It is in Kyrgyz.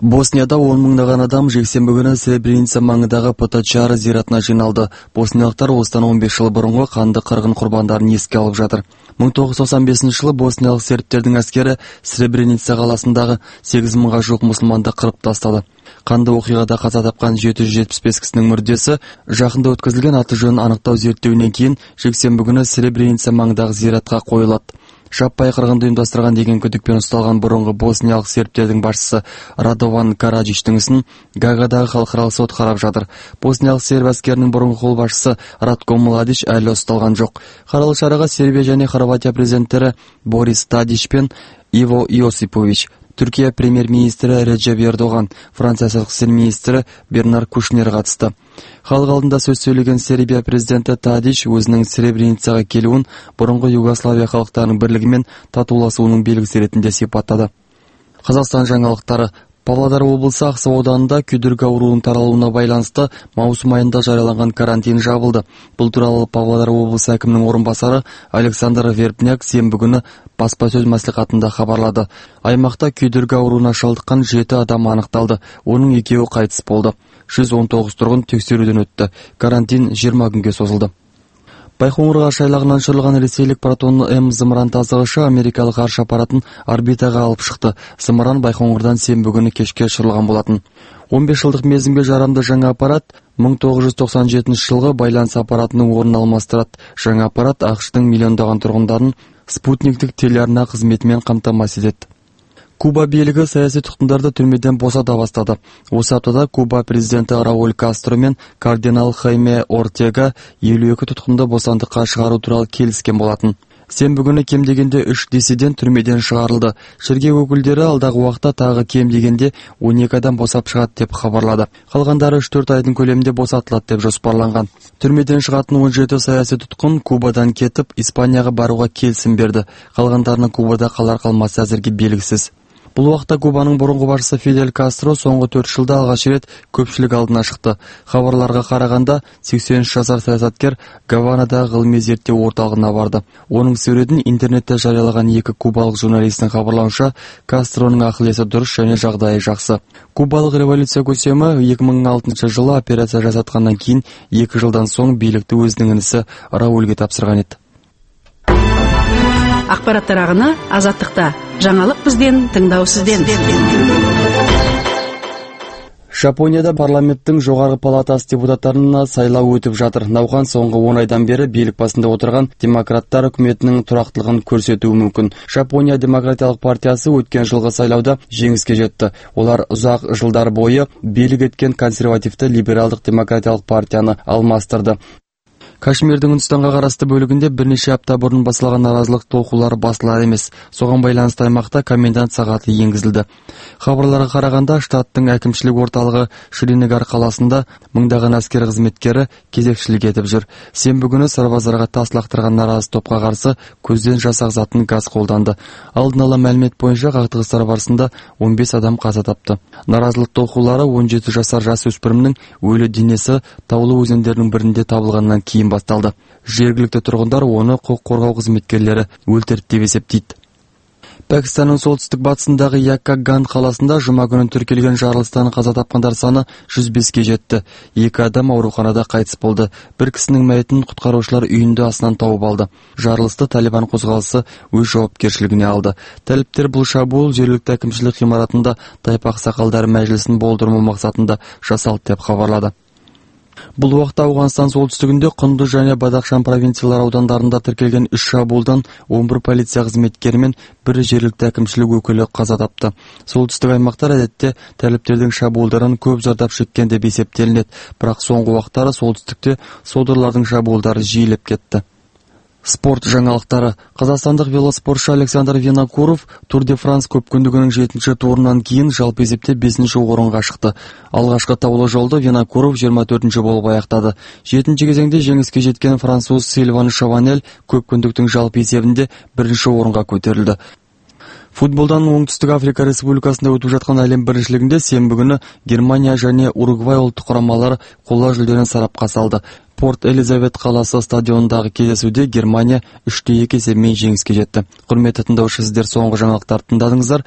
Боснияда 10 мыңдаган адам жексенбі күнү Сребреница маңындагы Поточары зиратына жиналды. Босниялыктар осыдан 15 жыл мурунку канды кыргын курбандарын эске алып жатыр. 1995-жылы босниялык сербтердин аскери Сребреница каласындагы 8 мыңга жук мусулманды кырып тастады. Канды окуйгада каза тапкан 775 кишинин мүрдөсү жакында өткөзүлгөн аты жөнүн аныктоо зерттөөнүнөн кийин жексенбі күнү Сребреница маңындагы зиратка коюлат. Жаппай кыргынды уюмдастырган деген күдүкпен ушталган мурунку босниялык сербтердин башчысы Радован Караджичтин исин Гаагадагы халкыралык сот карап жатыр. Босниялык серб аскеринин мурунку кол башчысы Ратко Младич али ушталган жок. Каралык чарага Сербия жана Хорватия президенттери Борис Тадич пен Иво Иосипович, Түркия премьер-министри Реджеп Эрдоган, Франция сырткы ишер министри Бернар Кушнер катышты. Халык алдында сөз сөйлөгөн Сербия президенти Тадич өзүнүн Сребреницага келүүн мурунку Югославия калктарынын бирлиги менен татуулашуунун белгиси иретинде сыйпаттады. Казакстан жаңылыктары. Павлодар облусу Аксы ауданында күйдүргү оорунун таралууна байланыштуу маусум айында жарыяланган карантин жабылды. Бул тууралуу Павлодар облусу акиминин орун басары Александр Вербняк сенбі күнү баспа сөз маслихатында кабарлады. Аймакта күйдүргү оорууна шалдыккан 7 адам аныкталды. Онун 2-өү кайтыс болду. 119 тургун текшерүүдөн өттү. Карантин 20 күнгө созулду. Байкоңур каш айлагынан учурулган ресейлик Протон М зымыран тазгычы америкалык арш аппаратын орбитага алып чыкты. Зымыран Байкоңурдан сенбі күнү кечке учурулган болотун. 15 жылдык мезгимге жарамдуу жаңы аппарат 1997-жылғы байланыс аппаратынын ордун алмаштырат. Жаңы аппарат АКШтын миллиондогон тургундарын спутниктик телеарна кызмети менен камтамасыз этет. Куба бийлиги саясий туткундарды түрмөдөн босата баштады. Осы аптада Куба президенти Рауль Кастро менен кардинал Хайме Ортега 52 туткунду бостандыкка чыгаруу тууралуу келишкен болотун. Сенбі күнү кем дегенде 3 диссидент түрмөдөн чыгарылды. Шерге өкүлдөрү алдагы убакта тагы кем дегенде 12 адам босап чыгат деп кабарлады. Калгандары 3-4 айдын көлеминде босатылат деп жоспарланган. Түрмөдөн чыгатын 17 саясий туткун Кубадан кетип, Испанияга барууга келисим берди. Калгандарынын Кубада калар калмасы азыркы белгисиз. Бул убакта Кубанын мурунку башчысы Фидель Кастро соңку 4 жылда алгач ирет көпчүлүк алдына чыкты. Кабарларга караганда 83 жашар саясаткер Гаванадагы гылымий зерттөө орталыгына барды. Онун сүрөтүн интернетте жарыялаган 2 кубалык журналисттин кабарлауынча, Кастронун акыл-эси дуруш жана жагдайы жакшы. Кубалык революция көсөмү 2006-жылы операция жасаткандан кийин 2 жылдан соң бийликти өзүнүн иниси Раульге тапшырган эди. Акпараттар агыны Азаттыкта. Жаңалык бизден, тыңдоо сизден. Жапонияда парламенттин жогорку палатасы депутаттарына сайлоо өтүп жатыр. Наукан соңку 10 айдан бери бийлик басында отурган демократтар өкмөтүнүн турактуулугун көрсөтүү мүмкүн. Жапония демократиялык партиясы өткөн жылкы сайлоодо жеңиске жетти. Олар узак жылдар бою бийлик эткен консервативдүү либералдык демократиялык партияны алмаштырды. Кашмирдин Үндүстанга караштуу бөлүгүндө бир нече апта мурун басылган наразылык толкуулары басылар эмес. Согон байланыштуу аймакта комендант сааты энгизилди. Кабарларга караганда, штаттын акимчилик орталыгы Шринагар каласында мыңдаган аскер кызметкери кезекчилик этип жүр. Сенбі күнү сарбаздарга тас лактырган наразы топко каршы көздөн жасак затын газ колданды. Алдын ала маалимет боюнча кактыгыштар барысында 15 адам каза тапты. Наразылык толкуулары 17 жашар жас өспүрүмдүн өлү денеси Таулуу өзөндөрүнүн биринде табылгандан кийин басталды. Жергиликтүү тургундар оны укук коргоо кызметкерлери өлтүрдү деп эсептейт. Пакистандын солтүстүк батысындагы Яккаган каласында жума күнү тиркелген жарылыштан каза тапкандар саны 105ке жетти. 2 адам ооруканада кайтыс болду. Бир кишинин маятын куткаруучулар үйүндө астынан тауып алды. Жарылышты Талибан козголуусу өз жоопкерчилигине алды. Талиптер бул шабуул жергиликтүү акимчилик имаратында Тайпак сакалдары мажлисин болдуруу максатында жасалды деп кабарлады. Бул убакта Ауганстан солтүстүгүндө Кунду жана Бадахшан провинциялар аудандарында тиркелген 3 шабуулдан 11 полиция кызметкери менен бир жергиликтүү акимчилик өкүлү каза тапты. Солтүстүк аймактар адетте талиптердин шабуулдарынан көп жардап чеккен деп эсептелинет, бирок соңку убактары солтүстүктө содырлардын шабуулдары жиилеп кетти. Спорт жаңалыктары. Казакстандык велоспортчу Александр Винокуров Тур де Франс көпкүндүгүнүн 7-чи турунан кийин жалпы эсепте 5-чи орунга чыкты. Алгачкы таулуу жолдо Винокуров 24-чи болуп аяктады. 7-чи кезеңде жеңиске жеткен француз Сильван Шаванель көпкүндүктүн жалпы эсебинде 1-чи орунга көтөрүлдү. Футболдан Оңтүстүк Африка Республикасында өтүп жаткан әлем биринчилигинде сенбі күнү Германия және Уругвай улуттук курамалары коло жүлдөнү сарапка салды. Порт Элизабет каласы стадионундагы кездесүүдө Германия 3-2 эсебинен жеңиске жетти. Курметтүү тыңдоочу, сиздер соңку жаңалыктарды тыңдадыңыздар.